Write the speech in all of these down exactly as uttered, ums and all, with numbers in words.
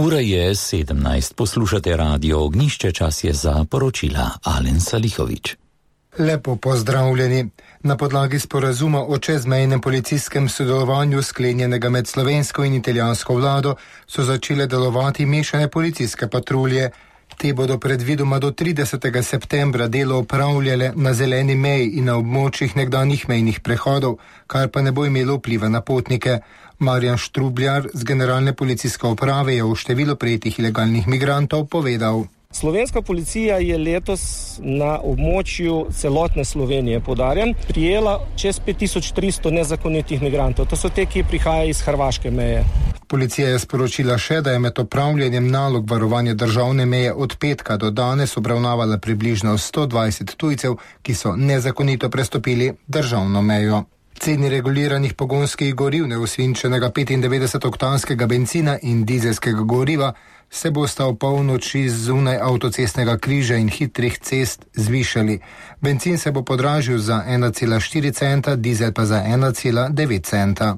Ura je sedemnajst, poslušate Radio Ognjišče, čas je za poročila. Alen Salihovič. Lepo pozdravljeni. Na podlagi sporazuma o čezmejnem policijskem sodelovanju sklenjenega med slovensko in italijansko vlado so začele delovati mešane policijske patrulje. Te bodo predvidoma do tridesetega septembra delo opravljale na zeleni meji in na območjih nekdanjih mejnih prehodov, kar pa ne bo imelo vpliva na potnike. Marjan Štrubljar z Generalne policijske uprave je o številu prejetih ilegalnih migrantov povedal. Slovenska policija je letos na območju celotne Slovenije, poudarjam, prijela čez pet tisoč tristo nezakonitih migrantov. To so te, ki prihajajo iz hrvaške meje. Policija je sporočila še, da je med opravljanjem nalog varovanja državne meje od petka do danes obravnavala približno sto dvajset tujcev, ki so nezakonito prestopili državno mejo. Ceni reguliranih pogonskih goriv, neosvinčenega petindevetdesetoktanskega bencina in dizelskega goriva se bosta v polnoči zunaj avtocestnega križa in hitrih cest zvišali. Bencin se bo podražil za ena cela štiri centa, dizel pa za ena cela devet centa.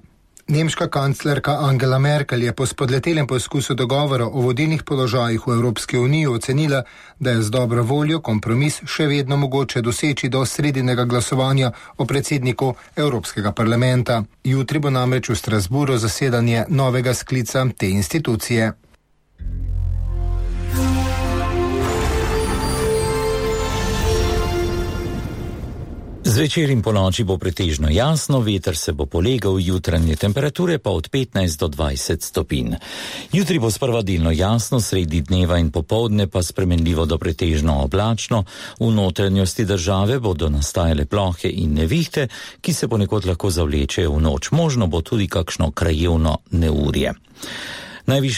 Nemška kanclerka Angela Merkel je po spodletelem poskusu dogovora o vodilnih položajih v Evropski uniji ocenila, da je z dobro voljo kompromis še vedno mogoče doseči do sredinega glasovanja o predsedniku Evropskega parlamenta. Jutri bo namreč v Strasburu zasedanje novega sklica te institucije. Zvečer in ponoči bo pretežno jasno, veter se bo polegal, jutranje temperature pa od petnajst do dvajset stopinj. Jutri bo sprva delno jasno, sredi dneva in popoldne pa spremenljivo do pretežno oblačno. V notranjosti države bodo nastajale plohe in nevihte, ki se ponekod lahko zavlečejo v noč. Možno bo tudi kakšno krajevno neurje. Najvišje